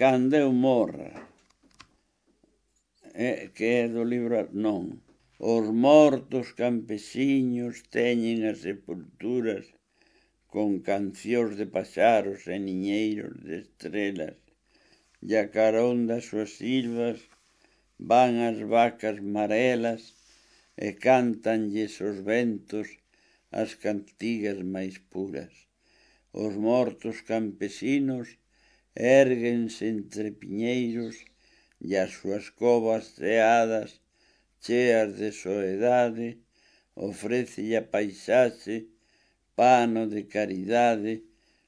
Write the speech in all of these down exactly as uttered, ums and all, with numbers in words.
Cando eu morra, eh, que é do libro, non. Os mortos campesiños teñen as sepulturas con cancións de paxaros e niñeiros de estrelas, e a carón das súas silvas van as vacas marelas e cántanlles os ventos as cantigas máis puras. Os mortos campesinos érguense entre piñeiros e as súas covas ceadas, cheas de soedade, ofrécelle a paisaxe pano de caridade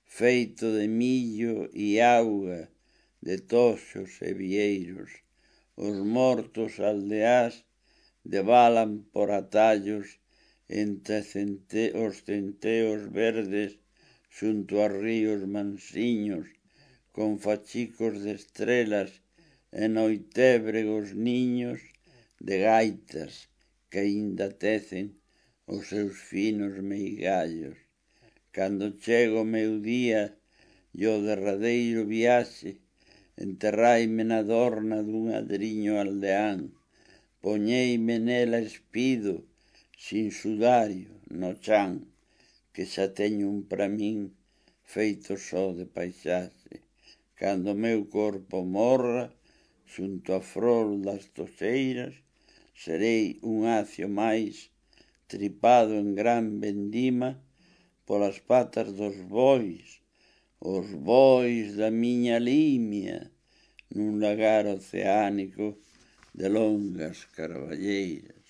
feito de millo e auga, de toxos e vieiros. Os mortos aldeás devalan por atallos entre cente os centeos verdes xunto a ríos mansiños, con fachicos de estrelas e noitébregos niños de gaitas que aínda tecen os seus finos meigallos. Cando chego o meu día e o derradeiro viaxe, enterraime na dorna dun adriño aldeán, poñeime nela espido, sin sudario, no chan, que xa teño un pra min feito só de paisaxe. Cando o meu corpo morra, xunto a frol das toxeiras, serei un acio máis, tripado en gran vendima polas patas dos bois, os bois da miña limia, nun lagar oceánico de longas carballeiras.